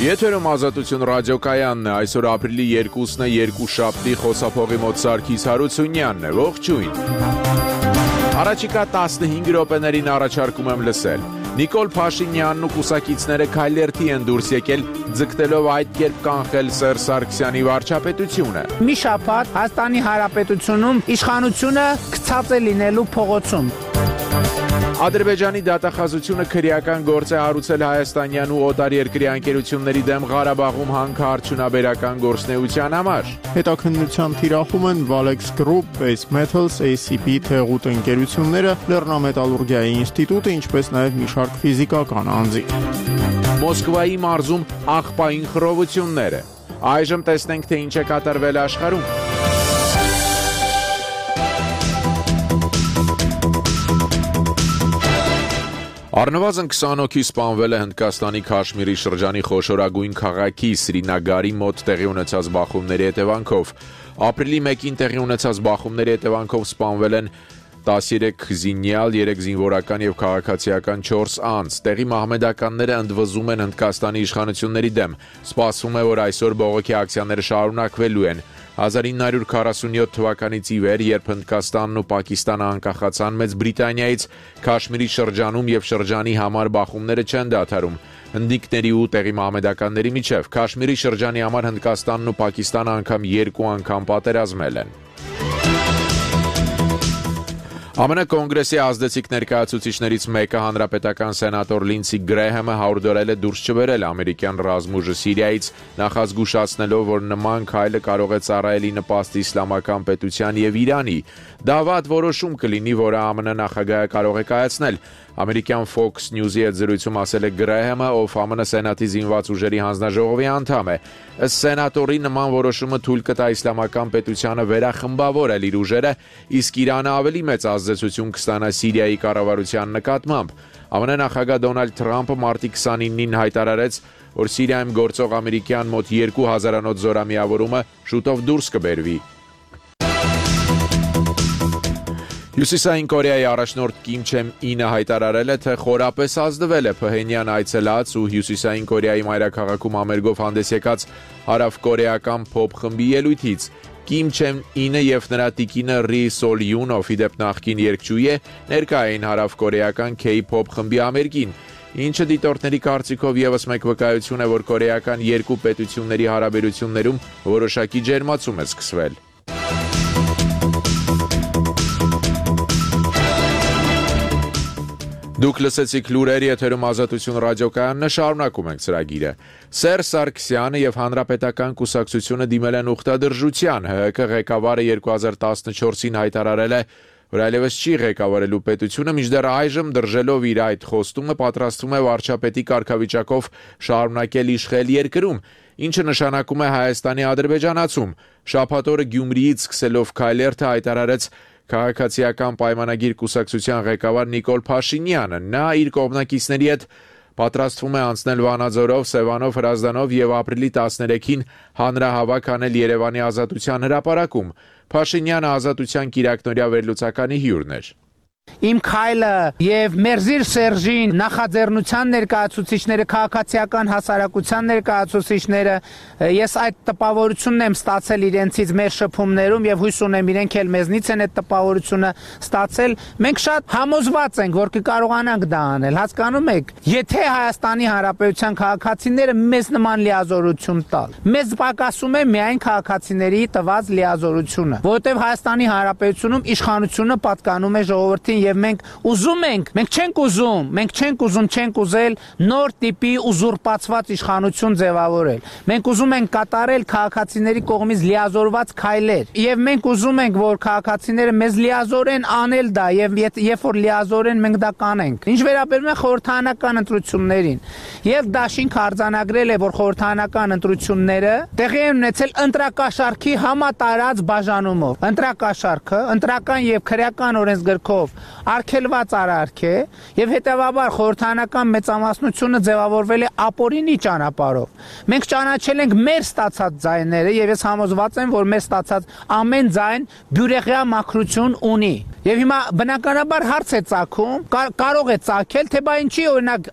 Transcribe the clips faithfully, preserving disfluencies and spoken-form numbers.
Եթերում Ազատություն ռադիոկայանն է, այսօր ապրիլի երկուսն է, երկուշաբթի, խոսափողի մոտ Սարգիս Հարությունյանն է, ողջույն։ Առաջիկա տասնհինգ րոպեներին առաջարկում եմ լսել։ Նիկոլ Փաշինյանն ու կուսակիցները քայլերթի են դուրս եկել, ձգտելով այդ կերպ կանխել Սերժ Սարգսյանի վարչապետությունը։ Մի շաբաթ Հայաստանի Հանրապետությունում իշխանությունը գցած է լինելու փողոցում։ Ադրբեջանի դատախազությունը քրեական գործ է հարուցել հայաստանյան ու օտարերկրյա ընկերությունների դեմ Ղարաբաղում հանքարդյունաբերական գործունեության համար։ Հետաքննության թիրախում են Valex Group, Base Metals, A C P թեղուտ ընկերությունները, Լեռնամետալուրգիայի ինստիտուտը, ինչպես նաև մի շարք ֆիզիկական անձիկ։ Մոսկվայի մարզում աղբային խռովությունները։ Այժմ տեսնենք, թե ինչ է կատարվել աշխարհում։ Առնվազն քսան հոգի սպանվել է Հնդկաստանի Քաշմիրի շրջանի խոշորագույն քաղաքի Սրինագարի մոտ տեղի ունեցած բախումների հետևանքով։ Ապրիլի մեկին տեղի ունեցած բախումների հետևանքով սպանվել են տասներեք զինյալ, երեք զինվորական եւ քաղաքացիական չորս անձ։ Տեղի մահմեդականները ընդվզում են Հնդկաստանի իշխանությունների դեմ։ Սպասվում է, որ այսօր բողոքի ակցիաները շարունակվելու են։ հազար ինը հարյուր քառասունյոթ թվականից ի վեր, երբ Հնդկաստանն ու Պակիստանը անկախացան Մեծ Բրիտանիայից, Քաշմիրի շրջանում եւ շրջանի համար բախումները չեն դադարում։ Հնդիկների ու տեղի մահմեդականների միջև Քաշմիրի շրջանի համար Հնդկաստանն ու Պակիստանը անգամ երկու անգամ պատերազմել են։ ԱՄՆ կոնգրեսի ազդեցիկ ներկայացուցիչներից մեկը հանրապետական սենատոր Լինսի Գրեհեմը հորդորել է դուրս չբերել ամերիկյան ռազմուժը Սիրիայից, նախազգուշացնելով, որ նման քայլը կարող է ծառայել նպաստ իսլամական պետության եւ Իրանի։ Դա վատ որոշում կլինի, որը ԱՄՆ նախագահը կարող է կայացնել։ Ամերիկյան Fox News-ի հետ զրույցում ասել է Գրեհեմը, ով ԱՄՆ Սենատի զինված ուժերի հանձնաժողովի անդամ է։ Ըստ սենատորի, նման որոշումը թույլ կտա իսլամական պետությանը վերախմբավորել իր ուժերը, իսկ Իրանը ավելի մեծ ազդեցություն կստանա Սիրիայի կառավարության նկատմամբ։ ԱՄՆ նախագահ Դոնալդ Թրամփը մարտի քսանինին հայտարարեց, որ Սիրիայում գործող ամերիկյան մոտ երկու հազարանոց զորամիավորումը շուտով դուրս կբերվի։ Հյուսիսային Կորեայի առաջնորդ Կիմ Չեն Ինը հայտարարել է, թե խորապես ազդվել է Փհենյան այցելած ու Հյուսիսային Կորեայի մայրաքաղաքում ամերգով հանդես եկած հարավկորեական փոփ խմբի ելույթից։ Կիմ Չեն Ինը եւ նրա տիկինը Ռի Սոլ Յուն, ով ի դեպ նախկին երգչուհի է, ներկա էին հարավկորեական K-pop խմբի ամերգին, ինչը դիտորդների կարծիքով եւս մեկ վկայություն է, որ կորեական երկու պետությունների հարաբերություններում որոշակի ջերմացում է սկսվել։ Դուք լսեցիք լուրեր, եթերում Ազատություն ռադիոկայանն է, շարունակում ենք ծրագիրը։ Սերժ Սարգսյանը եւ Հանրապետական կուսակցությունը դիմել են ուխտադրժության։ ՀՀԿ ղեկավարը երկու հազար տասնչորսին հայտարարել է, որ այլևս չի ղեկավարելու պետությունը, մինչդեռ այժմ դրժելով իր այդ խոստումը պատրաստվում է վարչապետի կարգավիճակով շարունակել իշխել երկրում, ինչը նշանակում է Հայաստանի ադրբեջանացում։ Շաբաթ օրը Գյումրիից սկսելով քայլերթը հայտարարեց Քաղաքացիական պայմանագիր կուսակցության ղեկավար Նիկոլ Փաշինյանը։ Նա իր կողմնակիցների հետ պատրաստվում է անցնել Վանաձորով, Սևանով, Հրազդանով եւ ապրիլի տասներեքին հանրահավաք անել Երևանի Ազատության հրապարակում։ Փաշինյանը Ազատության կիրակնօրյա վերլուծականի հյուրն էր։ Իմ քայլը եւ Մերզիր Սերժին նախաձեռնության ներկայացուցիչները, քաղաքացիական հասարակության ներկայացուցիչները, ես այդ տպավորությունն եմ ստացել իրենցից մեր շփումներում եւ հույս ունեմ իրենք էլ մեզնից են այդ տպավորությունը ստացել։ Մենք շատ համոզված ենք, որ կկարողանանք դա անել։ Հասկանում եք, եթե Հայաստանի Հանրապետության քաղաքացիները մեզ նման լիազորություն տալ, մեզ պակասում է միայն քաղաքացիների տված լիազորությունը, որովհետեւ Հայաստանի Հանրապետությունում իշխանությունը պատկանում է ժողովրդին եւ մենք ուզում ենք, մենք չենք ուզում, մենք չենք ուզում, չենք ուզել նոր տիպի ուզուրպացված իշխանություն ձևավորել։ Մենք ուզում ենք կատարել քաղաքացիների կողմից լիազորված քայլեր եւ մենք ուզում ենք, որ քաղաքացիները մեզ լիազորեն անել դա եւ երբ որ լիազորեն մենք դա կանենք։ Ինչ վերաբերում է խորհրդարանական ընտրություններին, եւ Դաշինք արձանագրել է, որ խորհրդարանական ընտրությունները տեղի են ունեցել ընտրակաշարքի համատարած բաժանումով։ Ընտրակաշարքը ընտրական եւ քրեական օրենսգրքով արգելված արարք է եւ հետեւաբար խորհրդանական մեծամասնությունը ձևավորվել է ապօրինի ճանապարհով։ Մենք ճանաչել ենք մեր ստացած ձայները եւ ես համոզված եմ, որ մեր ստացած ամեն ձայն բյուրեղյա մաքրություն ունի։ Եվ հիմա բնականաբար հարց է ծագում, կարող է ծագել, թե բա ինչի օրինակ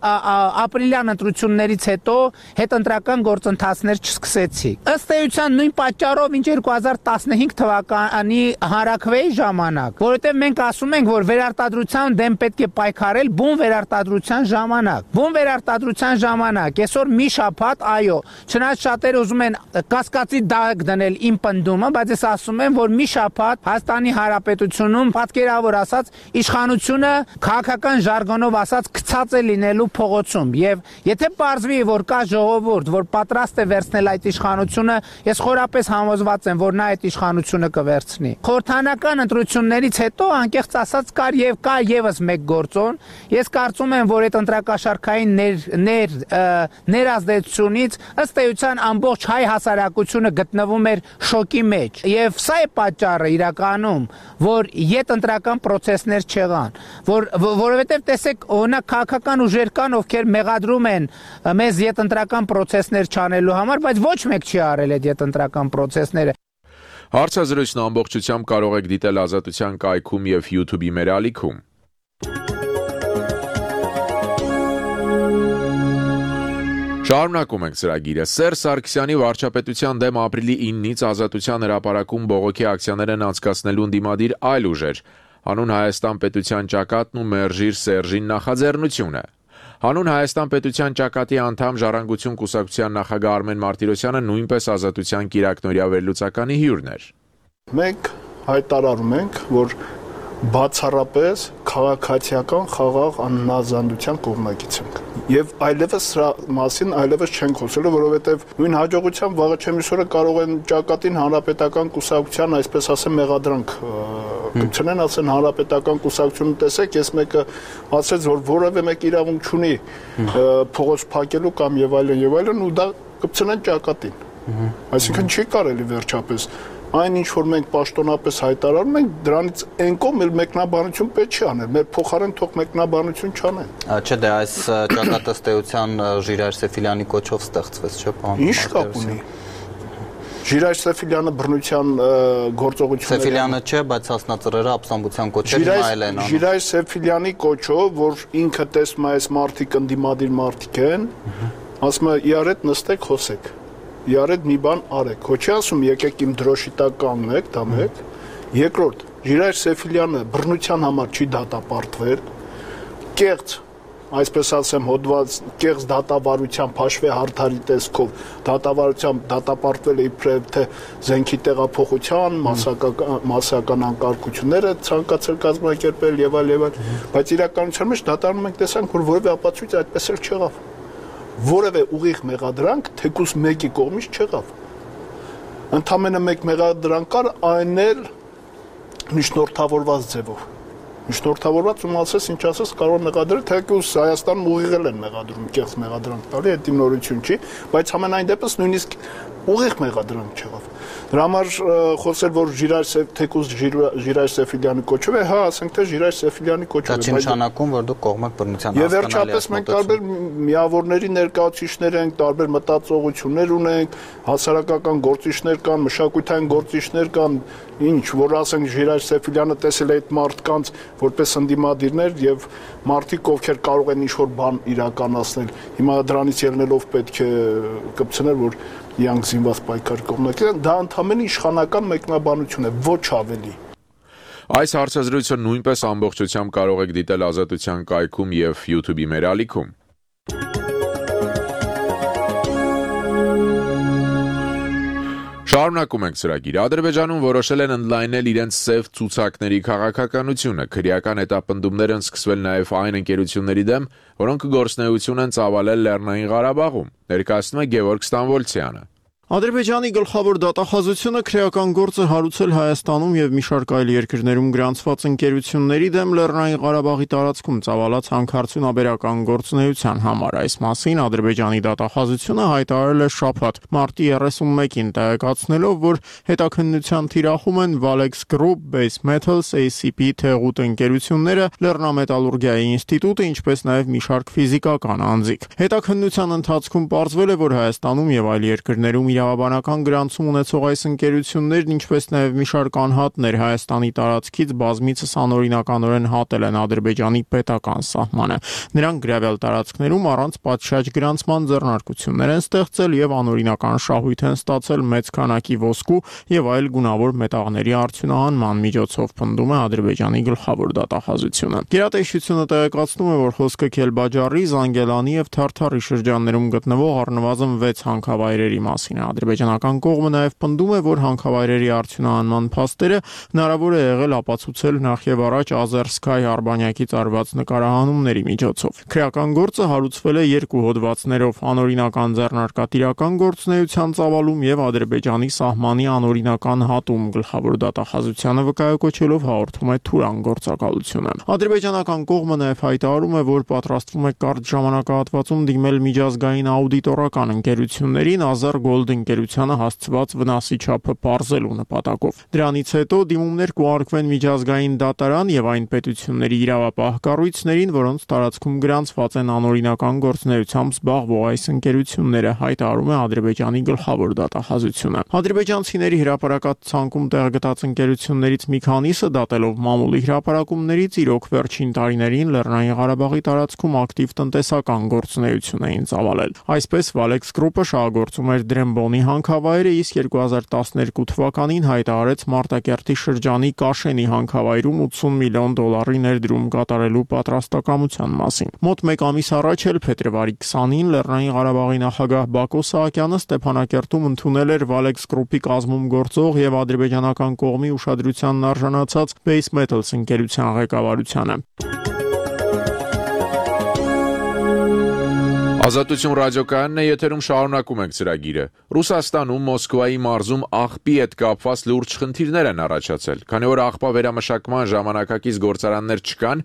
ապրիլյան ընտրություններից հետո հետընտրական գործընթացներ չսկսեցի։ Ըստ էության նույն պատճառով ինչ երկու հազար տասնհինգ թվականի հանրաքվեի ժամանակ, որովհետև մենք ասում ենք, որ վերարտադրության դեմ պետք է պայքարել բուն վերարտադրության ժամանակ։ Բուն վերարտադրության ժամանակ, այսօր մի շաբաթ, այո, չնայած շատերը ուզում են կասկածի դակ դնել իմ պնդումը, բայց ես ասում եմ, որ մի շաբաթ Հայաստանի Հանրապետությունում պատկերավոր ասած իշխանությունը քաղաքական ժարգոնով ասած գցած է լինելու փողոցում եւ եթե պարզվի, որ կա ժողովուրդ, որ պատրաստ է վերցնել այդ իշխանությունը, ես խորապես համոզված եմ, որ նա այդ իշխանությունը կվերցնի։ Խորհրդանական ընտրություններից հետո անկեղծ ասած կար եւ կա եւս մեկ գործոն, ես կարծում եմ, որ այդ ընտրակաշարքային ներ ներ ներազդեցությունից ըստ էության ամբողջ հայ հասարակությունը գտնվում էր շոկի մեջ եւ սա է պատճառը իրականում, որ յետ ընտրական process-ներ չեղան, որ որովհետեւ տեսեք, օրինակ քաղաքական ուժեր կան, ովքեր մեղադրում են մեզ յետ ընտրական process-ներ չանելու համար, բայց ոչ մեկ չի արել այդ յետ ընտրական process-ները։ Հարցազրույցն ամբողջությամբ կարող եք դիտել Ազատության կայքում եւ YouTube-ի մեր ալիքում։ Շարունակում ենք ծրագիրը։ Սերժ Սարգսյանի վարչապետության դեմ ապրիլի իննից Ազատության հրապարակում բողոքի ակցիաներն անցկացնելուն դիմադիր այլ ուժեր, Հանուն Հայաստան պետության ճակատն ու Մերժիր Սերժին նախաձեռնությունը։ Հանուն Հայաստան պետության ճակատի անդամ Ժառանգություն կուսակցության նախագահ Արմեն Մարտիրոսյանը նույնպես Ազատության կիրակնօրյա վերլուծականի հյուրն էր։ Մենք հայտարարում ենք, որ բացառապես քաղաքացիական խաղաղ անհնազանդության կողմնակից ենք եւ այլևս սրա մասին այլևս չենք խոսելու, որովհետեւ նույն հաջողությամբ վաղը չեմիսորը կարող են ճակատին հանրապետական կուսակցության, այսպես ասեմ, մեղադրանք կցնեն, ասեն հանրապետական կուսակցությունը տեսեք, ես մեկը ասեց, որ որևէ մեկ իրավունք չունի փողոց փակելու կամ եւ այլն եւ այլն ու դա կցնեն ճակատին։ Այսինքն չի կարելի վերջապես այն ինչ որ մենք պաշտոնապես հայտարարում ենք, դրանից այն կողմ էլ մեկնաբանություն պետք չի անել, մեր փոխարեն թող մեկնաբանություն չանեն։ Չէ, դե այս ճակատը ըստ էության Ժիրայր Սեֆիլյանի կոչով ստեղծվեց, չէ՞, պարոն։ Ինչ կապ ունի։ Ժիրայր Սեֆիլյանը բռնության գործողությունները Սեֆիլյանը չէ, բայց հասնածռերը ապստամբության կոչերին այլ են անում։ Ժիրայր Սեֆիլյանի կոչով, որ ինքը տեսնում է այս մարդիկ ընդդիմադիր մարդիկ են, ասում է իրար հետ նստեք, խոսեք։ Իրարեդ մի բան արեք, ոչ ասում եկեք իմ դրոշի տակ կանգնեք, դա մեկ։ Երկրորդ, Ժիրայր Սեֆիլյանը բռնության համար չի դատապարտվել, կեղծ, այսպես ասեմ, հոդված կեղծ դատավարության փաշվե հարթարի տեսքով դատավարությամբ դատապարտվել է իբրև թե զենքի տեղափոխության, մասսական մասսական անկարգությունները ցանկացել կազմակերպել եւ այլ եւ այլ, բայց իրականության մեջ դատարանում ենք տեսանք, որ որևէ ապացույց այդպես էլ չեղավ։ Որևէ ուղիղ մեղադրանք թեկուզ մեկի կողմից չեղավ։ Ընդամենը մեկ մեղադրանք կար, այն էլ միջնորդավորված ձևով։ Միջնորդավորված ում ասես, ինչ ասես, կարող մեղադրել, թեկուզ Հայաստանում ուղիղել են մեղադրում, կեղծ մեղադրանք տալի, դա նորություն չի, բայց ամենայն դեպս նույնիսկ ուղիղ մեղադրանք չեղավ։ Դրա համար խոսել, որ Ժիրայր թեկուզ Ժիրայր Սեֆիլյանի կոչով է, հա, ասենք թե Ժիրայր Սեֆիլյանի կոչով է։ Դա չի նշանակում, որ դուք կողմեք բռնության հասկանալի։ Եվ վերջապես մենք տարբեր միավորների ներկայացուցիչներ ենք, տարբեր մտածողություններ ունենք, հասարակական գործիչներ կան, մշակութային գործիչներ կան, ինչ, որ ասենք Ժիրայր Սեֆիլյանը տեսել է այդ մարդկանց որպես ընդդիմադիրներ եւ մարդիկ, ովքեր կարող են ինչ-որ բան իրականացնել։ Հիմա դրանից ելնելով պետք է կպցնել, որ իրանք զինված պայքար կողմնակից են, դա ընդհանրապես իշխանական մեկնաբանություն է, ոչ ավելի։ Այս հարցազրույցը նույնպես ամբողջությամբ կարող եք դիտել Ազատության կայքում եւ YouTube-ի մեր ալիքում։ Շարունակում ենք ծրագիրը։ Ադրբեջանում որոշել են ընդլայնել իրենց սև ցուցակների քաղաքականությունը։ Քրեական հետապնդումներ են սկսվել նաև այն ընկերությունների դեմ, որոնք գործունեություն են ծավալել Լեռնային Ղարաբաղում, ներկայացնում է Գևորգ Ստամբոլցյանը։ Ադրբեջանի գլխավոր դատախազությունը քրեական գործը հարուցել Հայաստանում եւ մի շարք այլ երկրներում գրանցված ընկերությունների դեմ Լեռնային Ղարաբաղի տարածքում ծավալած հանքարդյունաբերական գործունեության համար։ Այս մասին Ադրբեջանի դատախազությունը հայտարարել է շաբաթ մարտի երեսունմեկին, տեղեկացնելով, որ հետաքննության թիրախում են Valex Group, Base Metals, A C P թեղուտ ընկերությունները, Լեռնամետալուրգիայի ինստիտուտը, ինչպես նաեւ մի շարք ֆիզիկական անձիկ։ Հետաքննության ընթացքում պարզվել է, որ Հայաստանում եւ այլ երկրներում իրավաբանական գրանցում ունեցող այս ընկերություններն, ինչպես նաև մի շարք անհատներ Հայաստանի տարածքից բազմիցս անօրինականորեն հատել են Ադրբեջանի պետական սահմանը։ Նրանք գրավել տարածքներում առանց պատշաճ գրանցման ձեռնարկություններ են ստեղծել եւ անօրինական շահույթ են ստացել մեծ քանակի ոսկու եւ այլ գունավոր մետաղների արդյունահանման միջոցով, պնդում է Ադրբեջանի գլխավոր դատախազությունը։ Գերատեսչությունը տեղեկացնում է, որ խոսքը Քելբաջարի, Զանգելանի եւ Թարթարի շրջաններում գտնվող առնվազն վեց հանքավայրերի մասին է։ Ադրբեջանական կողմը նաև պնդում է, որ հանքավայրերի արդյունահանման փաստերը հնարավոր է եղել ապացուցել նախ եւ առաջ Azerskay արբանյակից արված նկարահանումների միջոցով։ Քրեական գործը հարուցվել է երկու հոդվածներով՝ անօրինական ձեռնարկատիրական գործունեության ծավալում եւ Ադրբեջանի սահմանի անօրինական հատում, գլխավոր դատախազությանը վկայակոչելով հաղորդում է Թուրան գործակալությունը։ Ադրբեջանական կողմը նաև հայտարարում է, որ պատրաստվում է կարճ ժամանակահատվածում դիմել միջազգային աուդիտորական ընկերություններին Azar Gold ընկերությանը հասցված վնասի չափը պարզելու նպատակով։ Դրանից հետո դիմումներ կուղարկվեն միջազգային դատարան եւ այն պետությունների իրավապահ կառույցներին, որոնց տարածքում գրանցված են անօրինական գործունեությամբ զբաղվող այս ընկերությունները, հայտարարում է Ադրբեջանի գլխավոր դատախազությունը։ Ադրբեջանցիների հրապարակած ցանկում տեղգտած ընկերություններից մի քանիսը դատելով մամուլի հրապարակումներից իրոք վերջին տարիներին Լեռնային Ղարաբաղի տարածքում ակտիվ տնտեսական գործունեություն էին ծավալել։ Այսպես Valex Group-ը շահագործում էր Դրեմբոնի հանքավայրը, իսկ երկու հազար տասներկու թվականին հայտարարեց Մարտակերտի շրջանի Կաշենի հանքավայրում ութսուն միլիոն դոլարի ներդրում կատարելու պատրաստակամության մասին։ Մոտ մեկ ամիս առաջ էլ փետրվարի քսանին Լեռնային Ղարաբաղի նախագահ Բակո Սահակյանը Ստեփանակերտում ընդունել էր Valex Group-ի կազմում գործող եւ ադրբեջանական կողմի ուշադրությանն արժանացած Base Metals ընկերության ղեկավարությանը։ Ազատություն ռադիոկայանն է, եթերում շարունակում ենք ծրագիրը։ Ռուսաստանում Մոսկվայի մարզում աղբի հետ կապված լուրջ խնդիրներ են առաջացել, քանի որ աղբա վերամշակման ժամանակակից գործարաններ չկան,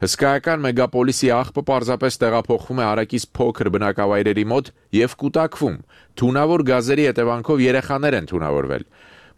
հսկայական մեգապոլիսի աղբը պարզապես տեղափոխվում է հարակից փոքր բնակավայրերի մոտ եւ կուտակվում։ Թունավոր գազերի հետևանքով երեխաներ են թունավորվել։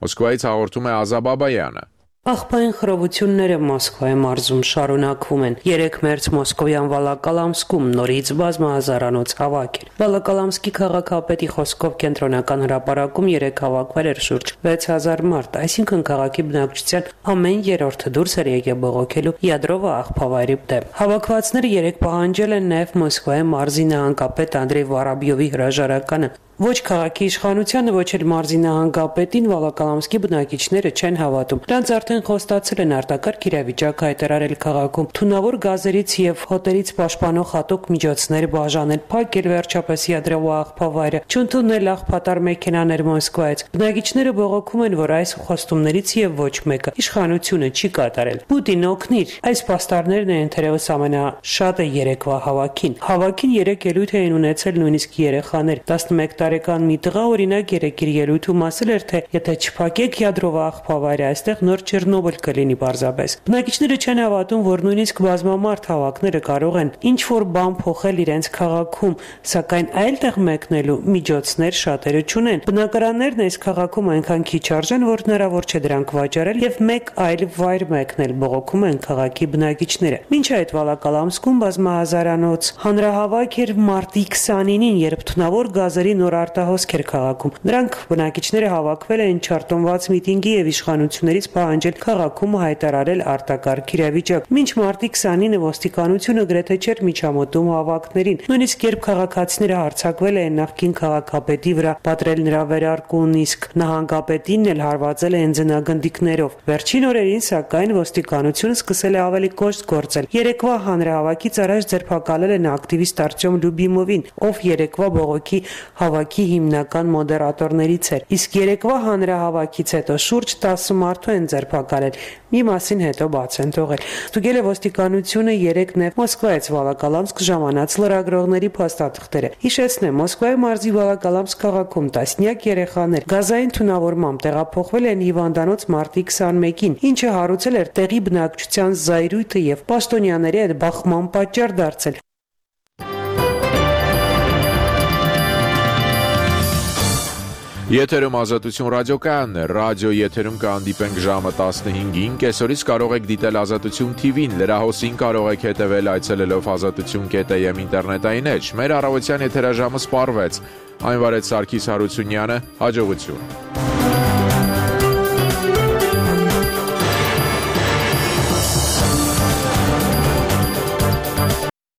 Մոսկվայից հաղորդում է Ազա Բաբայանը։ Աղբային խռովությունները Մոսկվայի մարզում շարունակվում են։ Երեք մերձ Մոսկովյան Վալակալամսկում նորից բազմահազարանոց հավաք էր։ Վալակալամսկի քաղաքապետի խոսքով կենտրոնական հրապարակում երեք հավաքվել էր շուրջ վեց հազար մարդ, այսինքն քաղաքի բնակչության ամեն երրորդը դուրս էր եկել բողոքելու յադրովա աղբավայրի դեմ։ Հավաքվածները երեք պահանջել են նաև Մոսկվայի մարզի նահանգապետ Անդրեյ Վարաբյովի հրաժարականը։ Ոչ քաղաքի իշխանությանը, ոչ էլ մարզի նահանգապետին Վալակալամսկի բնակիչները չեն հավատում։ Նրանց արդեն խոստացել են արտակարգ իրավիճակ հայտարարել քաղաքում, թունավոր գազերից եւ հոտերից պաշտպանող հատուկ միջոցներ բաժանել, փակել վերջապես յադրովա աղբավայրը, չընդունել աղբատար մեքենաներ Մոսկվայից։ Բնակիչները բողոքում են, որ այս խոստումներից եւ ոչ մեկը իշխանությունը չի կատարել։ Պուտին օգնիր։ Այս պաստառներն են թերևս ամենաշատը երեկվա հավաքին։ Հավաքին երեք ելույթ էին ունեցել նույնիսկ երեխաներ։ տասնմեկ տարեկան մի տղա օրինակ երեք իր ելույթում ասել էր, թե եթե չփակեք յադրովա աղբավայրը, այստեղ նոր Չեռնոբիլ կլինի պարզապես։ Բնակիչները չեն հավատում, որ նույնիսկ բազմամարդ հավաքները կարող են ինչ որ բան փոխել իրենց քաղաքում, սակայն այլտեղ մեկնելու միջոցներ շատերը չունեն։ Բնակարաններն այս քաղաքում այնքան քիչ արժեն, որ հնարավոր չէ դրանք վաճառել եւ մեկ այլ վայր մեկնել, բողոքում են քաղաքի բնակիչները։ Մինչ այդ Վալակալամսկում բազմահազարանոց հանրահավաք էր մարտի քսանինին, երբ թունավոր գազերի նոր արտահոսք էր քաղաքում։ Նրանք բնակիչները հավաքվել էին չարտոնված միտինգի եւ իշխանություններից պահանջել քաղաքում հայտարարել արտակարգ իրավիճակ։ Մինչ մարտի քսանինը ոստիկանությունը գրեթե չէր միջամտում հավաքներին։ Նույնիսկ երբ քաղաքացիները հարձակվել էին նախկին քաղաքապետի վրա, պատրել նրա վերարկուն, իսկ նահանգապետին էլ հարվածել էին ձնագնդիկներով։ Վերջին օրերին սակայն ոստիկանությունը սկսել է ավելի կոշտ գործել։ Երեկվա հանրահավաքից առաջ ձերբակալել են ակտիվիստ Արտյոմ Լյուբիմովին, ով երեկվա բողոքի հավաքի քաղաքի հիմնական մոդերատորներից էր։ Իսկ երեկվա հանրահավաքից հետո շուրջ տասը մարդու են ձերբակալել, մի մասին հետո բաց են թողել։ Ստուգել է ոստիկանությունը երեկ նաև Մոսկվայից Վոլոկոլամսկ ժամանած լրագրողների փաստաթղթերը։ Հիշեցնեմ, Մոսկվայի մարզի Վոլոկոլամսկ քաղաքում տասնյակ երեխաներ գազային թունավորմամբ տեղափոխվել են հիվանդանոց մարտի քսանմեկին, ինչը հարուցել էր տեղի բնակչության զայրույթը եւ պաշտոնյաների հետ բախման պատճառ դարձել։ Եթերում Ազատություն ռադիոկայանն է, ռադիո եթերում կհանդիպենք ժամը տասնհինգին, կեսօրից կարող եք դիտել Ազատություն թի վին, լրահոսին կարող եք հետևել այցելելով ազատություն կետ եմ ինտերնետային էջ, մեր առավոտյան եթերաժամը սպառվեց, այն վարեց Սարգիս Հարությունյանը, հաջողություն։